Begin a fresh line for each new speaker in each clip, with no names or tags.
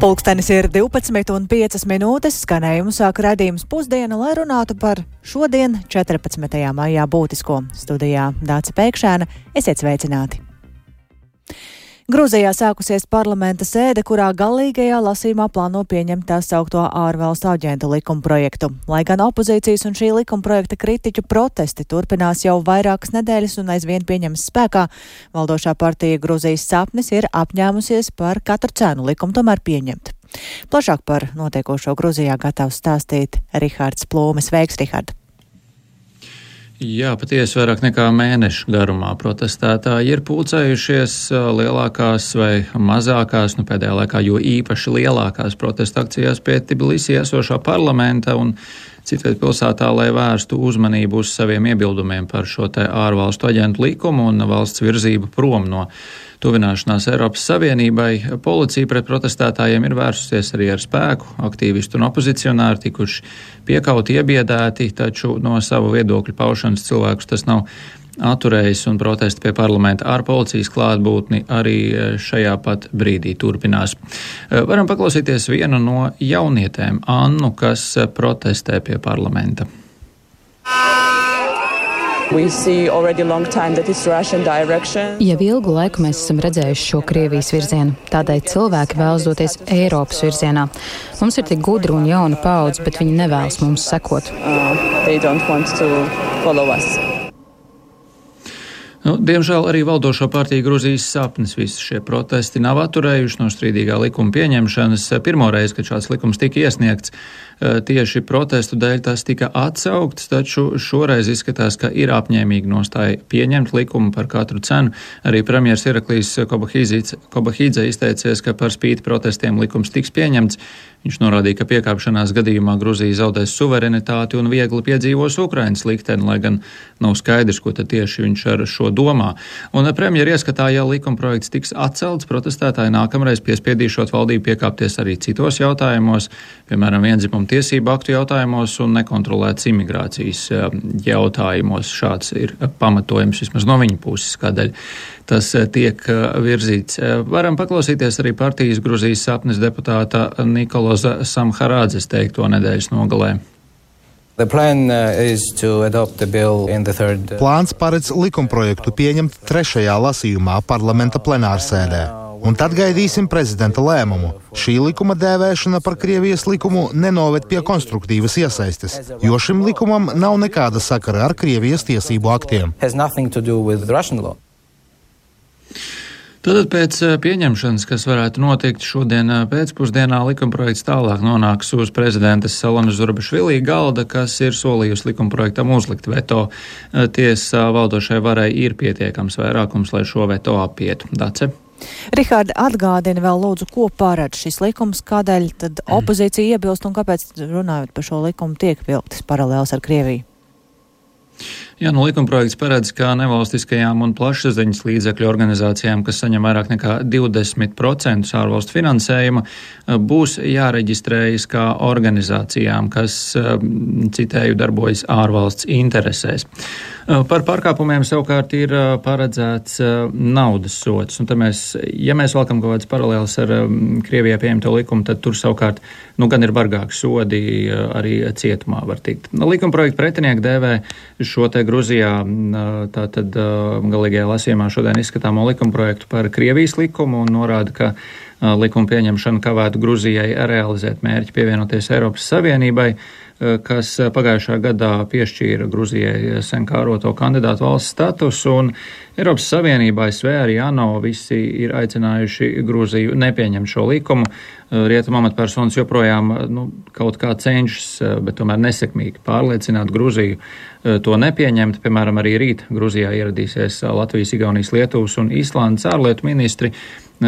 Pulkstenis ir 12:05, skanējumu sāk raidījums Pusdiena, lai runātu par šodien, 14. maijā būtisko. Studijā Dāce Pēkšēna, esiet sveicināti! Grūzijā sākusies parlamenta sēde, kurā galīgajā lasījumā plāno pieņemt tā saukto ārvalstu aģentu likumprojektu. Lai gan opozīcijas un šī likumprojekta kritiķu protesti turpinās jau vairākas nedēļas un aizvien pieņems spēkā, valdošā partija Grūzijas sapnis ir apņēmusies par katru cenu likumu tomēr pieņemt. Plašāk par notiekošo Grūzijā gatavs stāstīt Rihards Plūmes. Sveiks, Rihard!
Jā, patiesi vairāk nekā mēnešu garumā protestētāji ir pulcējušies lielākās vai mazākās, pēdējā laikā jo īpaši lielākās protesta akcijās pie Tbilisī esošā parlamenta un citviet pilsētā, lai vērstu uzmanību uz saviem iebildumiem par šo te ārvalstu aģentu likumu un valsts virzību prom no tuvināšanās Eiropas Savienībai. Policija pret protestētājiem ir vērsusies arī ar spēku, aktīvisti un opozicionāri tikuši piekauti, iebiedēti, taču no savu viedokļu paušanas cilvēkus tas nav atturējis un protesti pie parlamenta ar policijas klātbūtni arī šajā pat brīdī turpinās. Varam paklausīties vienu no jaunietēm, Annu, kas protestē pie parlamenta.
Jau ilgu laiku mēs esam redzējuši šo Krievijas virzienu, tādēļ cilvēki vēlas doties Eiropas virzienā. Mums ir tik gudra un jauna paudze, bet viņi nevēlas mums sekot.
Diemžēl arī valdošo partiju Grūzijas sapnis visi šie protesti nav atturējuši no strīdīgā likuma pieņemšanas. Pirmoreiz, kad šāds likums tika iesniegts, tieši protestu dēļ tas tika atsaukts, taču šoreiz izskatās, ka ir apņēmīgi nostāja pieņemt likumu par katru cenu. Arī premjers Iraklijs Kobahidze izteicies, ka par spīti protestiem likums tiks pieņemts. Viņš norādīja, ka piekāpšanās gadījumā Grūzija zaudēs suverenitāti un viegli piedzīvos Ukrainas likteni, lai gan nav skaidrs, ko tad tieši viņš ar šo domā. Un premjera ieskatā, ja likumprojekts tiks atcelts, protestētāji nākamreiz piespiedīšot valdību piekāpties arī citos jautājumos, piemēram, viendzimumu tiesību aktu jautājumos un nekontrolētas imigrācijas jautājumos. Šāds ir pamatojums vismaz no viņa puses, kādēļ tas tiek virzīts. Varam paklausīties arī partijas Grūzijas sapnis deputāta Nikoloza Samharādzes teikto nedēļas nogalē.
Plāns paredz likumprojektu pieņemt trešajā lasījumā parlamenta plenārsēdē. Un tad gaidīsim prezidenta lēmumu. Šī likuma dēvēšana par Krievijas likumu nenoved pie konstruktīvas iesaistes, jo šim likumam nav nekāda sakara ar Krievijas tiesību aktiem.
Tātad pēc pieņemšanas, kas varētu notikt šodien pēcpusdienā, likumprojekts tālāk nonāks uz prezidentas Salonas Zurabišvili galda, kas ir solījusi likumprojektam uzlikt veto. Tiesa valdošai varai ir pietiekams vairākums, lai šo veto apietu. Dace?
Rihārd, atgādini vēl lūdzu, ko paredz šis likums, kādēļ tad opozīcija iebilst un kāpēc, runājot par šo likumu, tiek vilktas paralēls ar Krieviju?
Jā, likumprojekts paredz, ka nevalstiskajām un plašsaziņas līdzekļu organizācijām, kas saņem vairāk nekā 20% ārvalstu finansējuma, būs jāreģistrējas kā organizācijām, kas, citēju, darbojas ārvalsts interesēs. Par pārkāpumiem savukārt ir paredzēts naudas sods, un ja mēs valkam kaut kāds paralēls ar Krievijā pieņemto likumu, tad tur savukārt, gan ir bargāki sodi, arī cietumā var tikt. Likumprojekta pretinieki dēvē šo te Grūzijā tātad galīgajā lasījumā šodien izskatāmo likumprojektu par Krievijas likumu un norāda, ka likuma pieņemšana kavētu Grūzijai realizēt mērķi pievienoties Eiropas Savienībai, kas pagājušā gadā piešķīra Grūzijai sen kāroto kandidātu valsts statusu, un Eiropas Savienībā, ASV arī ANO visi ir aicinājuši Grūziju nepieņemt šo likumu. Rietumu amatpersonas joprojām kaut kā cenšas, bet tomēr nesekmīgi pārliecināt Grūziju to nepieņemt. Piemēram, arī rīt Grūzijā ieradīsies Latvijas, Igaunijas, Lietuvas un Īslandes ārlietu ministri,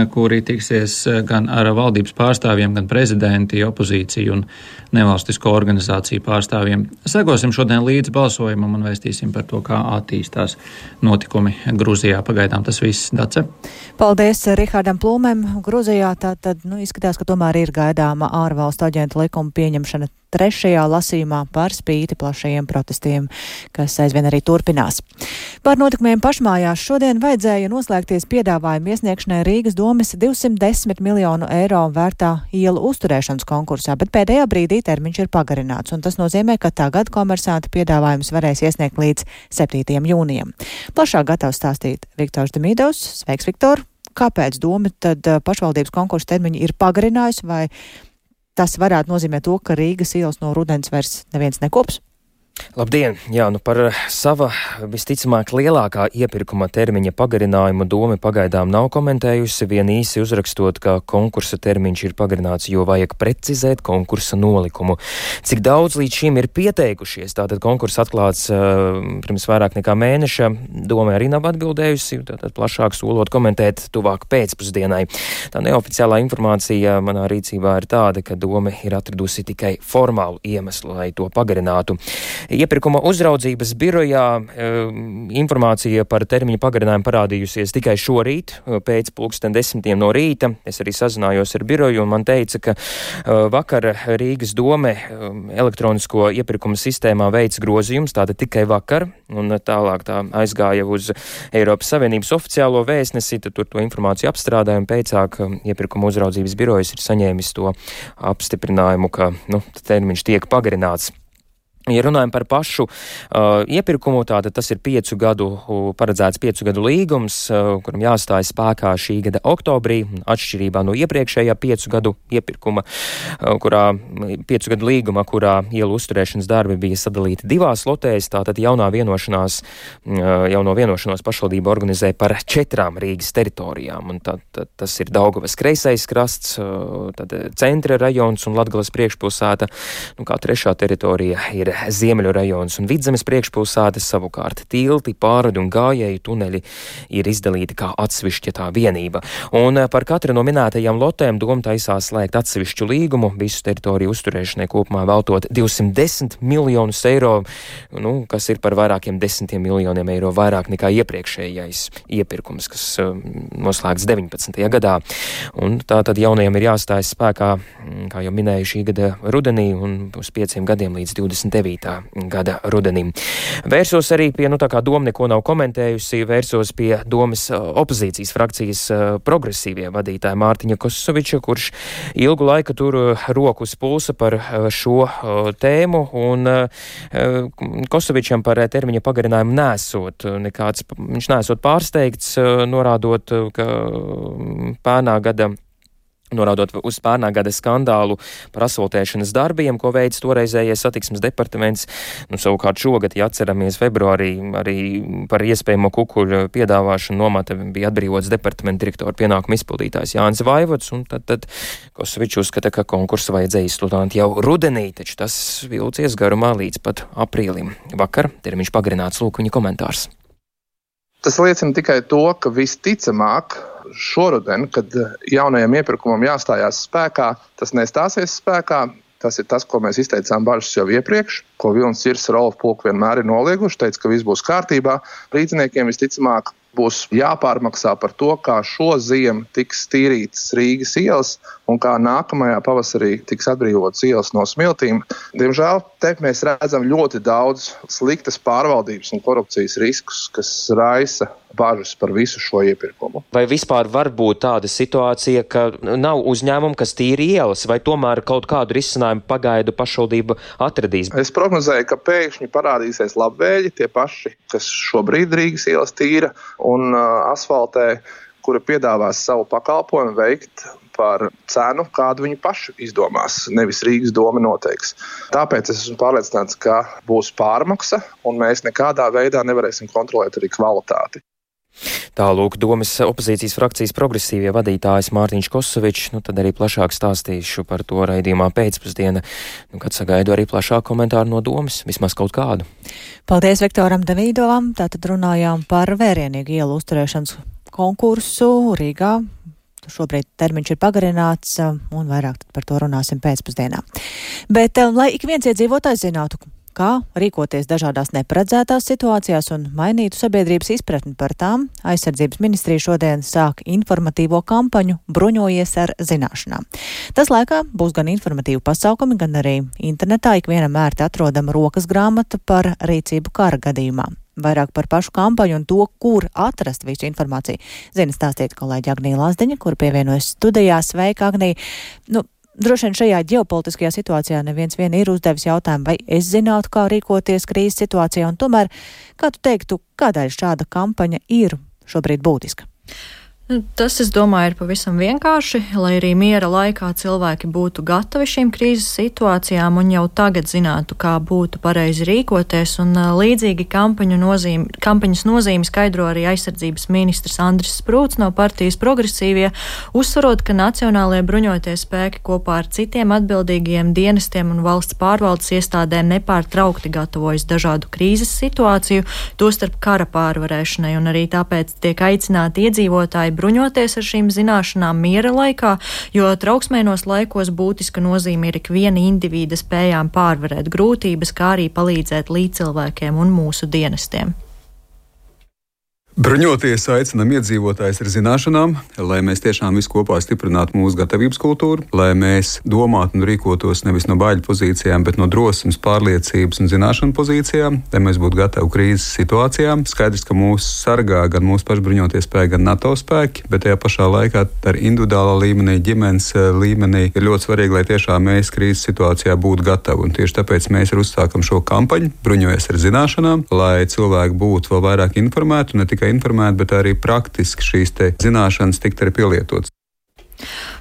kuri tiksies gan ar valdības pārstāvjiem, gan prezidenti, opozīciju un nevalstisko organizāciju pārstāvjiem. Sekosim šodien līdz balsojumam un vēstīsim par to, kā attīstās notikumi Grūzijā. Pagaidām tas viss, Dace.
Paldies Rihardam Plūmēm. Grūzijā tātad izskatās, ka tomēr ir gaidāma ārvalstu aģentu likuma pieņemšana trešajā lasījumā par spīti plašajiem protestiem, kas aizvien arī turpinās. Par notikumiem pašmājās šodien vajadzēja noslēgties piedāvājumu iesniegšanai Rīgas domes 210 miljonu eiro vērtā ielu uzturēšanas konkursā, bet pēdējā brīdī termiņš ir pagarināts, un tas nozīmē, ka tagad komersanti piedāvājumus varēs iesniegt līdz 7. jūnijam. Plašāk gatavs stāstīt Viktors Demidovs. Sveiks, Viktor! Kāpēc doma tad pašvaldības konkursa termiņu ir pagarinājusi, vai tas varētu nozīmēt to, ka Rīgas ielas no rudens vairs neviens nekops?
Labdien! Jā, par sava visticamāk lielākā iepirkuma termiņa pagarinājumu doma pagaidām nav komentējusi, vien īsi uzrakstot, ka konkursa termiņš ir pagarināts, jo vajag precizēt konkursa nolikumu. Cik daudz līdz šim ir pieteikušies, tātad konkurss atklāts pirms vairāk nekā mēneša, doma arī nav atbildējusi, tātad plašāk solot komentēt tuvāk pēcpusdienai. Tā neoficiālā informācija manā rīcībā ir tāda, ka doma ir atradusi tikai formālu iemeslu, lai to pagarinātu. Iepirkuma uzraudzības birojā informācija par termiņu pagarinājumu parādījusies tikai šorīt, pēc 10:00 no rīta. Es arī sazinājos ar biroju un man teica, ka vakar Rīgas dome elektronisko iepirkuma sistēmā veic grozījums, tātad tikai vakar, un tālāk tā aizgāja uz Eiropas Savienības oficiālo vēstnesi, tad tur to informāciju apstrādāja un pēcāk iepirkuma uzraudzības birojas ir saņēmis to apstiprinājumu, ka termiņš tiek pagarināts. Ja runājam par pašu iepirkumu, tātad tas ir paredzēts 5 gadu līgums, kuram jāstājas spēkā šī gada oktobrī, atšķirībā no iepriekšējā 5 gadu iepirkuma, 5 gadu līguma, kurā ielu uzturēšanas darbi bija sadalīti 2 lotēs, tātad jauno vienošanos pašvaldība organizē par 4 Rīgas teritorijām, un tas ir Daugavas kreisais krasts, tad centra rajons un Latgales priekšpilsēta, kā 3. teritorija ir Ziemeļu rajons un Vidzemes priekšpilsētas, savukārt tilti, pārvadi un gājēju tuneļi ir izdalīti kā atsevišķa vienība. Un par katru no minētajām lotēm doma taisās slēgt atsevišķu līgumu, visu teritoriju uzturēšanai kopumā veltot 210 miljonus eiro, kas ir par vairākiem 10 miljoniem eiro vairāk nekā iepriekšējais iepirkums, kas noslēgts 19. gadā. Un tā tad jaunajiem ir jāstājas spēkā, kā jau minēju, šī gada rudenī un uz 5 gadiem līdz 29. gada rudenim. Vērsos arī pie, kā doma neko nav komentējusi, vērsos pie domas opozīcijas frakcijas progresīvie vadītāja Mārtiņa Kosoviča, kurš ilgu laiku tur roku uz pulsa par šo tēmu, un Kosovičam par termiņa pagarinājumu nesot nekāds, viņš nesot pārsteigts, norādot uz pērnā gada skandālu par asfaltēšanas darbiem, ko veids toreizējais satiksmes departaments. Savukārt šogad, ja atceramies februārī, arī par iespējamo kukuļu piedāvāšanu nomata bija atbrīvots departamenta direktora pienākumu izpildītājs Jānis Vaivods, un tad Kosovičs uzskata, ka konkursu vajadzēja izsludināt jau rudenī, taču tas vilcies garumā līdz pat aprīlim. Vakar termiņš pagarināts, lūk viņa komentārs.
Tas liecina tikai to, ka visticamāk šoruden, kad jaunajam iepirkumam jāstājās spēkā, tas nestāsies spēkā. Tas ir tas, ko mēs izteicām bažas jau iepriekš, ko Vilnis Cirss, Rolf Pulk vienmēr ir nolieguši, teica, ka viss būs kārtībā. Rīdziniekiem visticamāk būs jāpārmaksā par to, kā šo ziemu tiks tīrītas Rīgas ielas un kā nākamajā pavasarī tiks atbrīvotas ielas no smiltīm. Diemžēl te mēs redzam ļoti daudz sliktas pārvaldības un korupcijas riskus, kas raisa bažas par visu šo iepirkumu.
Vai vispār var būt tāda situācija, ka nav uzņēmumu, kas tīri ielas, vai tomēr kaut kādu risinājumu pagaidu pašvaldība atradīs?
Es prognozēju, ka pēkšņi parādīsies labvēļi, tie paši, kas šobrīd Rīgas ielas tīra un asfaltē, kura piedāvās savu pakalpojumu veikt par cenu, kādu viņi paši izdomās, nevis Rīgas doma noteiks. Tāpēc es esmu pārliecināts, ka būs pārmaksa, un mēs nekādā veidā nevarēsim kontrolēt arī kvalitāti.
Tālūk domas opozīcijas frakcijas progresīvie vadītājs Mārtiņš Kosovičs, tad arī plašāk stāstīšu par to raidījumā pēcpusdiena, kad sagaidu arī plašāku komentāru no domas, vismaz kaut kādu.
Paldies Viktoram Demīdovam, tātad runājām par vērienīgu ielu uzturēšanas konkursu Rīgā. Šobrīd termiņš ir pagarināts, un vairāk par to runāsim pēcpusdienā. Bet, lai ik viens iedzīvotājs zinātu, kā rīkoties dažādās neparedzētās situācijās un mainītu sabiedrības izpratni par tām, aizsardzības ministrija šodien sāk informatīvo kampaņu Bruņojies ar zināšanām. Tas laikā būs gan informatīvi pasākumi, gan arī internetā ikvienam ērti atrodama rokas grāmata par rīcību kara gadījumā. Vairāk par pašu kampaņu un to, kur atrast visu informāciju, zina stāstīt kolēģi Agnija Lazdiņa, kur pievienojas studijā. Sveika, Agnija! Droši vien šajā ģeopolitiskajā situācijā neviens vien ir uzdevis jautājumu, vai es zinātu, kā rīkoties krīzes situācijā, un tomēr, kā tu teiktu, kādēļ šāda kampaņa ir šobrīd būtiska?
Tas, es domāju, ir pavisam vienkārši, lai arī miera laikā cilvēki būtu gatavi šīm krīzes situācijām un jau tagad zinātu, kā būtu pareizi rīkoties, un līdzīgi kampaņas nozīmi skaidro arī aizsardzības ministrs Andris Sprūts no partijas Progresīvie, uzsvarot, ka Nacionālajie bruņotie spēki kopā ar citiem atbildīgajiem dienestiem un valsts pārvaldes iestādēm nepārtraukti gatavojas dažādu krīzes situāciju, tostarp kara pārvarēšanai, un arī tāpēc tiek aicināti iedzīvotāji bruņoties ar šīm zināšanām miera laikā, jo trauksmainos laikos būtiska nozīme ir ikviena indivīda spējām pārvarēt grūtības, kā arī palīdzēt līdzcilvēkiem un mūsu dienestiem.
Bruņoties aicinam iedzīvotājus ar zināšanām, lai mēs tiešām visi kopā stiprinātu mūsu gatavības kultūru, lai mēs domātu un rīkotos nevis no baiļu pozīcijām, bet no drosmes, pārliecības un zināšanu pozīcijām, lai mēs būtu gatavi krīzes situācijām. Skaidrs, ka mūs sargā gan mūsu paši bruņotie spēki, gan NATO spēki, bet tajā pašā laikā ar individuālā līmenī, ģimenes līmenī ir ļoti svarīgi, lai tiešām mēs krīzes situācijā būtu gatavi. Un tieši tāpēc mēs uzsākam šo kampaņu, Bruņojies ar zināšanām, lai cilvēki būtu vēl vairāk informēti, ne tikai informēt, bet arī praktiski šīs zināšanas tikt arī pielietotas.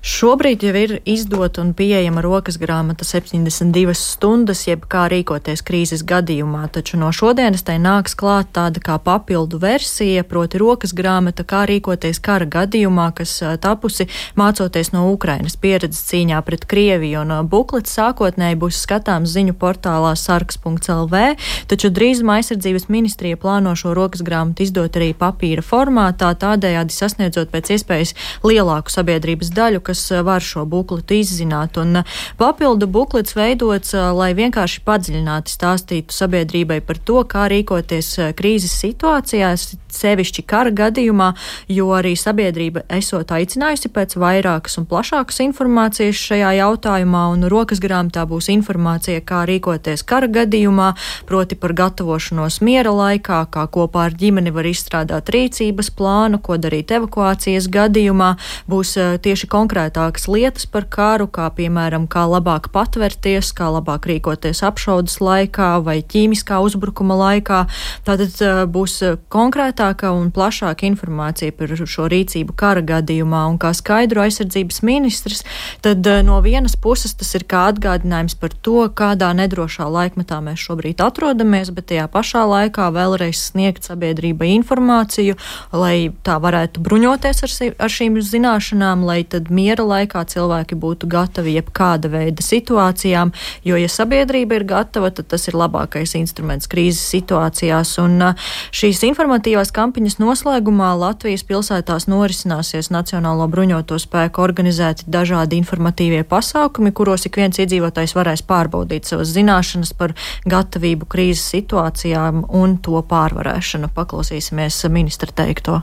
Šobrīd jau ir izdota un pieejama rokas grāmata 72 stundas, jeb kā rīkoties krīzes gadījumā, taču no šodienas tai nāks klāt tāda kā papildu versija, proti rokas grāmata, kā rīkoties kara gadījumā, kas tapusi mācoties no Ukrainas pieredzes cīņā pret Krieviju, un buklets sākotnēji būs skatāms ziņu portālā sargs.lv, taču drīzumā aizsardzības ministrija plāno šo rokas grāmatu izdot arī papīra formātā, tādējādi sasniedzot pēc iespējas lielāku sabiedrības daļu, kas var šo bukletu izzināt. Un papildu buklets veidots, lai vienkārši padziļināti stāstītu sabiedrībai par to, kā rīkoties krīzes situācijās, sevišķi kara gadījumā, jo arī sabiedrība esot aicinājusi pēc vairākas un plašākas informācijas šajā jautājumā, un rokas grāmatā būs informācija, kā rīkoties kara gadījumā, proti par gatavošanos miera laikā, kā kopā ar ģimeni var izstrādāt rīcības plānu, ko darīt evakuācijas gadījumā, būs tieši konkrētākas lietas par karu, kā piemēram, kā labāk patvērties, kā labāk rīkoties apšaudes laikā vai ķīmiskā uzbrukuma laikā. Tātad būs konkrētāka un plašāka informācija par šo rīcību kara gadījumā, un kā skaidro aizsardzības ministrs, tad no vienas puses tas ir kā atgādinājums par to, kādā nedrošā laikmetā mēs šobrīd atrodamies, bet tajā pašā laikā vēlreiz sniegt sabiedrībai informāciju, lai tā varētu bruņoties ar šīm zināšanām, lai tad miera laikā cilvēki būtu gatavi jebkāda veida situācijām, jo, ja sabiedrība ir gatava, tad tas ir labākais instruments krīzes situācijās. Un šīs informatīvās kampaņas noslēgumā Latvijas pilsētās norisināsies Nacionālo bruņoto spēku organizēti dažādi informatīvie pasākumi, kuros ik viens iedzīvotājs varēs pārbaudīt savas zināšanas par gatavību krīzes situācijām un to pārvarēšanu. Paklausīsimies ministra teikto.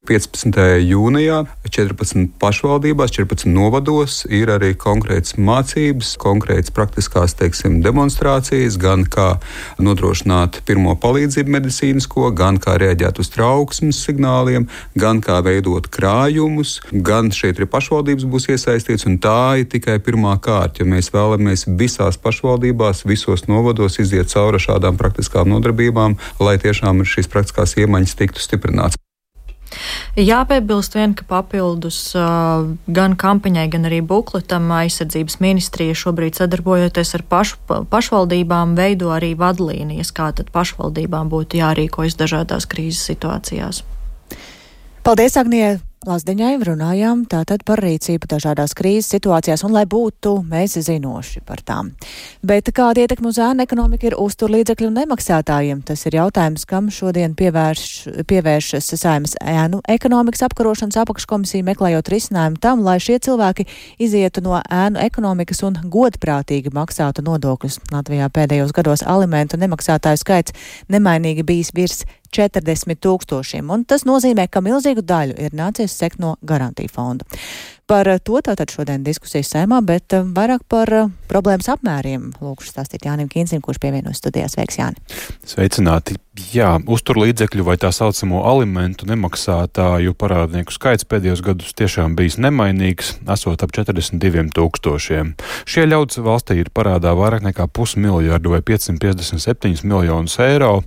15. jūnijā 14 pašvaldībās, 14 novados ir arī konkrētas mācības, konkrētas praktiskās, demonstrācijas, gan kā nodrošināt pirmo palīdzību medicīnisko, gan kā reaģēt uz trauksmes signāliem, gan kā veidot krājumus, gan šeit arī pašvaldības būs iesaistīts, un tā ir tikai pirmā kārta, jo mēs vēlamies visās pašvaldībās, visos novados iziet cauri šādām praktiskām nodarbībām, lai tiešām šīs praktiskās iemaņas tiktu stiprināts.
Jāpiebilst vien, ka papildus gan kampaņai, gan arī bukletam aizsardzības ministrija šobrīd sadarbojoties ar pašvaldībām veido arī vadlīnijas, kā tad pašvaldībām būtu jārīkojas dažādās krīzes situācijās.
Paldies, Agnija! Lazdiņai runājām tātad par rīcību dažādās krīzes situācijās un lai būtu mēs zinoši par tām. Bet kāda ietekme uz ēnu ekonomiku ir uzturlīdzekļu nemaksātājiem? Tas ir jautājums, kam šodien pievēršas Saeimas ēnu ekonomikas apkarošanas apakškomisija, meklējot risinājumu tam, lai šie cilvēki izietu no ēnu ekonomikas un godprātīgi maksātu nodokļus. Latvijā pēdējos gados alimentu nemaksātāju skaits nemainīgi bijis virs 40 000, un tas nozīmē, ka milzīgu daļu ir nācies sekt no garantiju fonda. Par to tātad šodien diskusijas Saeimā, bet vairāk par problēmas apmēriem lūkšu stāstīt Jānim Kīncim, kurš pievienojas studijās. Sveiks, Jāni!
Sveicināti! Jā, uzturlīdzekļu vai tā saucamo alimentu nemaksātāju parādnieku skaits pēdējos gadus tiešām bijis nemainīgs, esot ap 42 000. Šie ļaudis valstī ir parādā vairāk nekā 500 miljardu vai 557 miljonus eiro,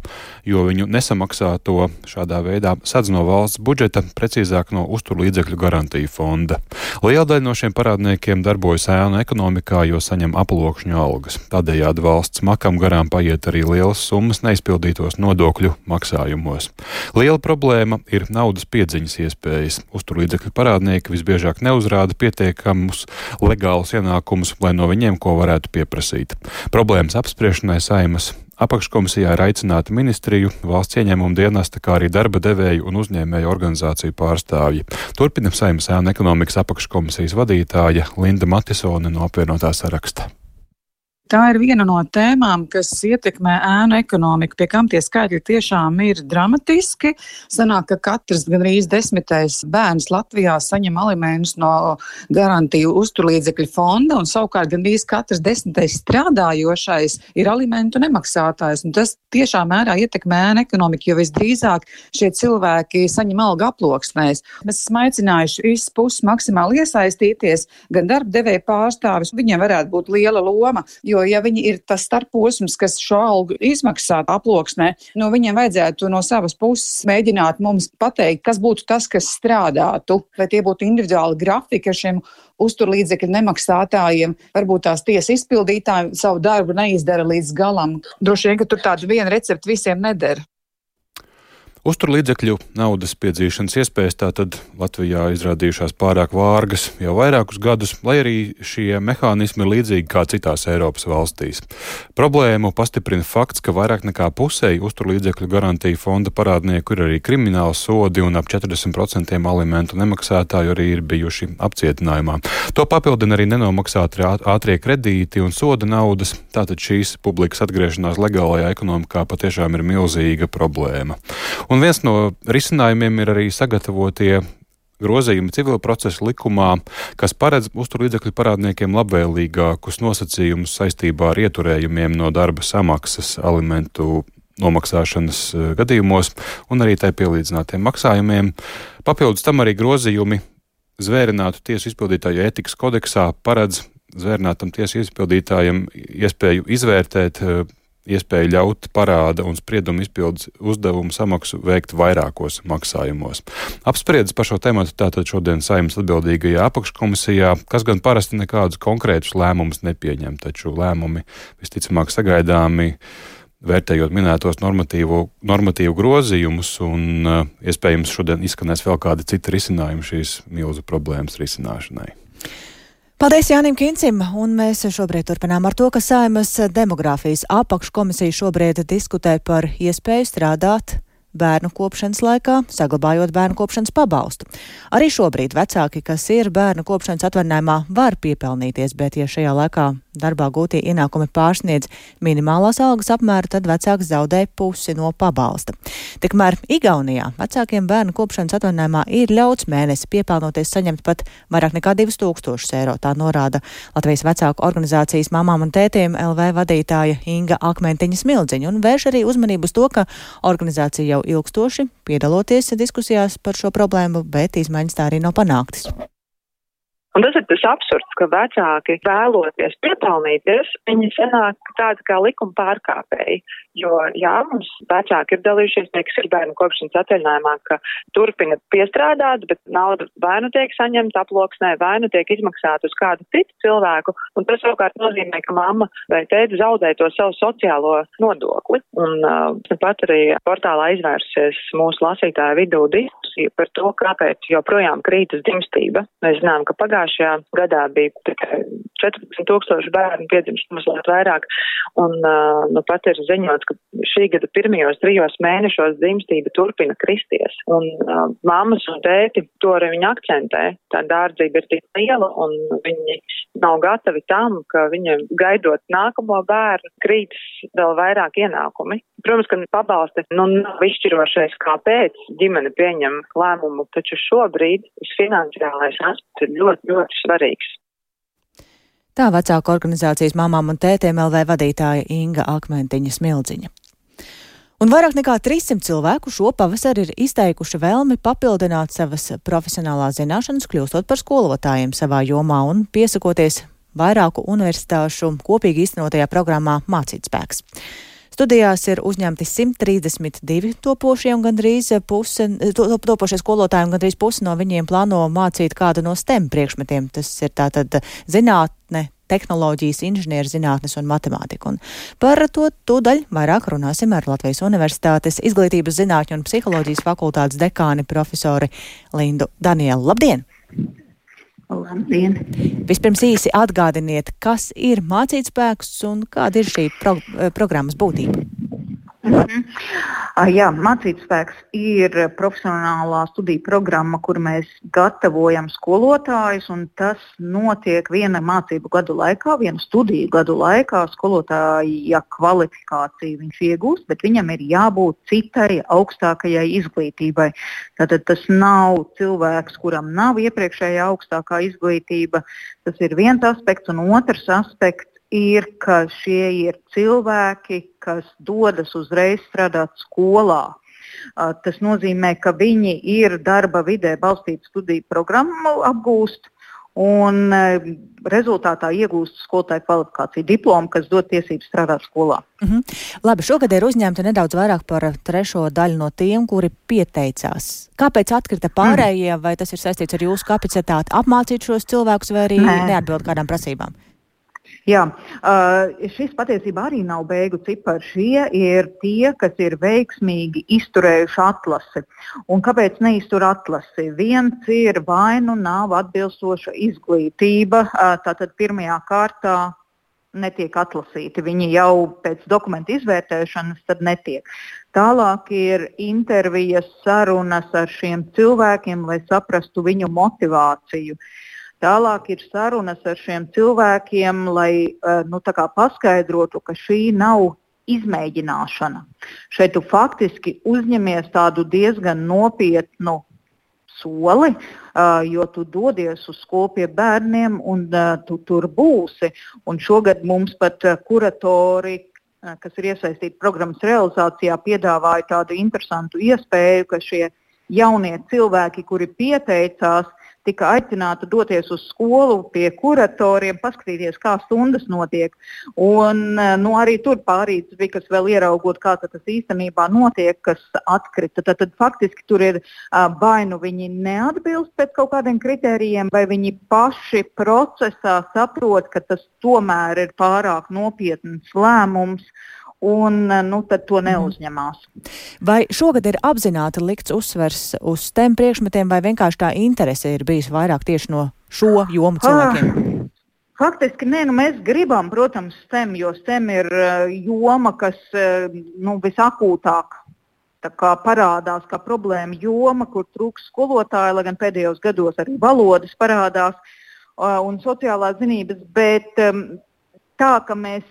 jo viņu nesamaksāto šādā veidā sadz no valsts budžeta, precīzāk no uzturlīdzekļu garantiju fonda. Liela daļa no šiem parādniekiem darbojas ēnu ekonomikā, jo saņem aploksņu algas. Tādējādi valsts makam garām paiet arī lielas summas neizpildītos nodokļu maksājumos. Liela problēma ir naudas piedziņas iespējas. Uzturlīdzekļu parādnieki visbiežāk neuzrāda pietiekamus legālus ienākumus, lai no viņiem ko varētu pieprasīt. Problēmas apspriešanai Saeimas apakškomisijā ir aicināti ministriju, valsts ieņēmuma dienesta, kā arī darba devēju un uzņēmēju organizāciju pārstāvji. Turpina Saeimas ēnu ekonomikas apakškomisijas vadītāja Linda Matisone no apvienotā saraksta.
Tā ir viena no tēmām, kas ietekmē ēnu ekonomiku, pie kam tie skaitļi tiešām ir dramatiski. Sanāk, ka katrs gandrīz 10. bērns Latvijā saņem alimentus no garantiju uzturlīdzekļu fonda, un savukārt gandrīz katrs 10. strādājošais ir alimentu nemaksātājs. Un tas tiešām mērā ietekmē ēnu ekonomiku, jo visdrīzāk šie cilvēki saņem algu aploksnēs. Mēs esam aicinājuši visas puses maksimāli iesaistīties, gan darba devēja pārstāvis, viņiem varētu būt liela loma, jo ja viņi ir tas starposms, kas šo algu izmaksā aploksnē, viņiem vajadzētu no savas puses mēģināt mums pateikt, kas būtu tas, kas strādātu, vai tie būtu individuāli grafiki ar šiem uzturlīdzekļu nemaksātājiem, varbūt tās tiesa izpildītāji savu darbu neizdara līdz galam. Droši vien, ka tur tādu vienu receptu visiem nedara.
Uzturlīdzekļu naudas piedzīšanas iespējas tātad Latvijā izrādījušās pārāk vārgas jau vairākus gadus, lai arī šie mehānismi ir līdzīgi kā citās Eiropas valstīs. Problēmu pastiprina fakts, ka vairāk nekā pusei uzturlīdzekļu garantiju fonda parādnieku ir arī krimināli sodi un ap 40% alimentu nemaksātāju arī ir bijuši apcietinājumā. To papildina arī nenomaksāti ātrie kredīti un soda naudas, tātad šīs publikas atgriešanās legālajā ekonomikā patiešām ir milzīga problēma. Un viens no risinājumiem ir arī sagatavotie grozījumi civila procesa likumā, kas paredz uzturlīdzekļu parādniekiem labvēlīgākus nosacījumus saistībā ar ieturējumiem no darba samaksas alimentu nomaksāšanas gadījumos un arī tai pielīdzinātiem maksājumiem. Papildus tam arī grozījumi zvērinātu tiesu izpildītāju ētikas kodeksā paredz zvērinātam tiesu izpildītājiem iespēju izvērtēt iespēju ļaut parāda un spriedumu izpildes uzdevumu samaksu veikt vairākos maksājumos. Apspriedis par šo tematu tātad šodien Saeimas atbildīgajā apakškomisijā, kas gan parasti nekādus konkrētus lēmumus nepieņem, taču lēmumi visticamāk sagaidāmi vērtējot minētos normatīvu grozījumus un iespējams šodien izskanēs vēl kādi citi risinājumi šīs milzu problēmas risināšanai.
Paldies Jānim Kincim, un mēs šobrīd turpinām ar to, ka Saeimas demogrāfijas apakškomisija šobrīd diskutē par iespēju strādāt bērnu kopšanas laikā, saglabājot bērnu kopšanas pabalstu. Arī šobrīd vecāki, kas ir bērnu kopšanas atvaļinājumā, var piepelnīties, bet ja šajā laikā darbā gūtie ienākumi pārsniedz minimālās algas apmēru, tad vecāks zaudē pusi no pabalsta. Tikmēr Igaunijā vecākiem bērnu kopšanas atvaļinājumā ir ļauts mēnesi piepelnoties saņemt pat vairāk nekā 2000 eiro. Tā norāda Latvijas vecāku organizācijas Mamām un tētiem LV vadītāja Inga Akmentiņa Smildziņa un vērš arī uzmanību uz to, ka organizācija jau ilgstoši piedaloties diskusijās par šo problēmu, bet izmaiņas tā arī nav panāktas.
Un tas ir tas absurds, ka vecāki vēloties piepelnīties, viņi sanāk tādi kā likuma pārkāpēji. Jo, jā, mums vecāki ir dalījušies, kas ir bērnu kopšanas atvaļinājumā, ka turpina piestrādāt, bet nauda vai nu tiek saņemta aploksnē, vai nu tiek izmaksāta uz kādu citu cilvēku. Un tas savukārt nozīmē, ka mamma vai tēti zaudē to savu sociālo nodokli. Un pat arī portālā izvērsies mūsu lasītāju vidū diskusija diskusija par to, kāpēc joprojām krītas dzimstība. Mēs zinām, ka pagājušajā gadā bija tikai 14,000 bērnu piedzimst mazliet vairāk, un pat ir ziņots, ka šī gada pirmajos 3 mēnešos dzimstība turpina kristies. Un mammas un tēti to arī viņi akcentē. Tā dārdzība ir tik liela, un viņi nav gatavi tam, ka viņiem gaidot nākamo bērnu krītas vēl vairāk ienākumi. Protams, ka pabalsti nav izšķirošais, kāpēc ģimene pieņem lēmumu, taču šobrīd finansiālais aspekts ir ļoti, ļoti svarīgs.
Tā vecāku organizācijas Mamām un tētiem LV vadītāja Inga Akmentiņa Smildziņa. Un vairāk nekā 300 cilvēku šo pavasari ir izteikuši vēlmi papildināt savas profesionālās zināšanas, kļūstot par skolotājiem savā jomā un piesakoties vairāku universitāšu kopīgi īstenotajā programmā Mācītspēks. Studijās ir uzņemti 132 topošie un gandrīz topošie skolotāji, un gandrīz pusi no viņiem plāno mācīt kādu no STEM priekšmetiem. Tas ir tātad zinātne, tehnoloģijas, inženierzinātnes un matemātika. Un par to tūdaļ vairāk runāsim ar Latvijas Universitātes Izglītības zinātņu un psiholoģijas fakultātes dekāni profesori Lindu Danielu. Labdien!
Labdien!
Vispirms īsi atgādiniet, kas ir Mācītspēks un kāda ir šī programmas būtība?
Jā, Mācītspēks ir profesionālā studiju programma, kur mēs gatavojam skolotājus, un tas notiek viena mācību gadu laikā, viena studiju gadu laikā. Skolotāja kvalifikāciju viņš iegūst, bet viņam ir jābūt citai augstākajai izglītībai. Tātad tas nav cilvēks, kuram nav iepriekšējā augstākā izglītība. Tas ir viens aspekts, un otrs aspekts ir, ka šie ir cilvēki, kas dodas uzreiz strādāt skolā. Tas nozīmē, ka viņi ir darba vidē balstītu studiju programmu apgūst un rezultātā iegūst skolotāju kvalifikāciju diplomu, kas dod tiesības strādāt skolā.
Labi, šogad ir uzņemti nedaudz vairāk par 3. daļu no tiem, kuri pieteicās. Kāpēc atkrita pārējie, vai tas ir saistīts ar jūsu kapacitāti apmācīt šos cilvēkus, vai arī neatbild kādām prasībām?
Jā, šis patiesībā arī nav beigu cipari. Šie ir tie, kas ir veiksmīgi izturējuši atlasi. Un kāpēc neiztur atlasi? Viens ir vai nu nav atbilstoša izglītība, tātad pirmajā kārtā netiek atlasīti. Viņi jau pēc dokumentu izvērtēšanas tad netiek. Tālāk ir intervijas, sarunas ar šiem cilvēkiem, lai saprastu viņu motivāciju. Tālāk ir sarunas ar šiem cilvēkiem, lai paskaidrotu, ka šī nav izmēģināšana. Šeit tu faktiski uzņemies tādu diezgan nopietnu soli, jo tu dodies uz skolu pie bērniem un tu tur būsi. Un šogad mums pat kuratori, kas ir iesaistīti programmas realizācijā, piedāvāja tādu interesantu iespēju, ka šie jaunie cilvēki, kuri pieteicās, tika aicināti doties uz skolu pie kuratoriem, paskatīties, kā stundas notiek. Un arī tur pārīts bija, kas vēl ieraugot, kā tas īstenībā notiek, kas atkrita. Tad faktiski tur ir vai nu viņi neatbilst pēc kaut kādiem kritērijiem, vai viņi paši procesā saprot, ka tas tomēr ir pārāk nopietns lēmums. Un tad to neuzņemās.
Vai šogad ir apzināti likts uzsvers uz STEM priekšmetiem, vai vienkārši tā interese ir bijusi vairāk tieši no šo jomu cilvēkiem?
Faktiski nē, mēs gribam, protams, STEM, jo STEM ir joma, kas visakūtāk parādās kā problēma joma, kur trūks skolotāji, lai gan pēdējos gados arī valodas parādās un sociālās zinības, bet tā, ka mēs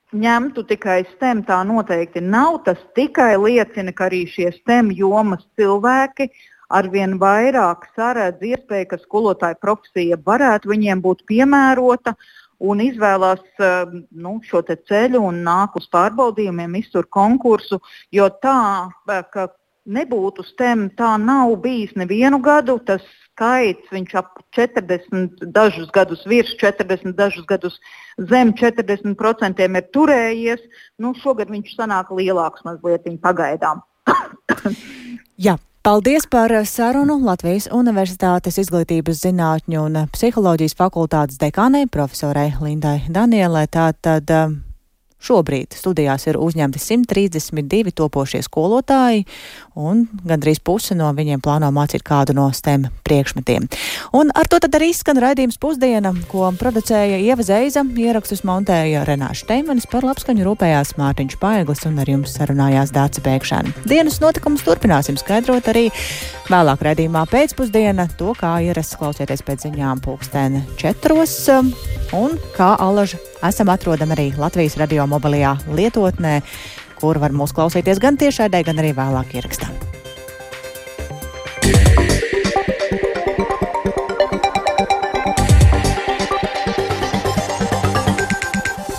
ņemtu tikai STEM, tā noteikti nav. Tas tikai liecina, ka arī šie STEM jomas cilvēki arvien vairāk saredz iespēju, ka skolotāja profesija varētu viņiem būt piemērota un izvēlās šo te ceļu un nāk uz pārbaudījumiem, iztur konkursu, jo tā, ka nebūtu STEM, tā nav bijis nevienu gadu. Tas skaits, viņš ap 40, dažus gadus virs 40, dažus gadus zem 40% ir turējies. Šogad viņš sanāk lielāks mazliet pagaidām.
Jā, paldies par sarunu Latvijas Universitātes Izglītības zinātņu un psiholoģijas fakultātes dekānei profesorai Lindai Danielai. Tātad Šobrīd studijās ir uzņemti 132 topošie skolotāji, un gandrīz puse no viņiem plāno mācīt kādu no STEM priekšmetiem. Un ar to tad arī izskan raidījums Pusdiena, ko producēja Ieva Zeiza, ierakstus montēja Renāša Steimanis, par labskaņu rūpējās Mārtiņš Paeglis un ar jums sarunājās Dāce Pēkšēna. Dienas notikumus turpināsim skaidrot arī vēlāk raidījumā Pēcpusdiena, to kā ierasts klausieties pēc ziņām 4:00, un kā alaži esam atrodami arī Latvijas radio mobilajā lietotnē, kur var mūs klausīties gan tiešraidē, gan arī vēlāk ierakstā.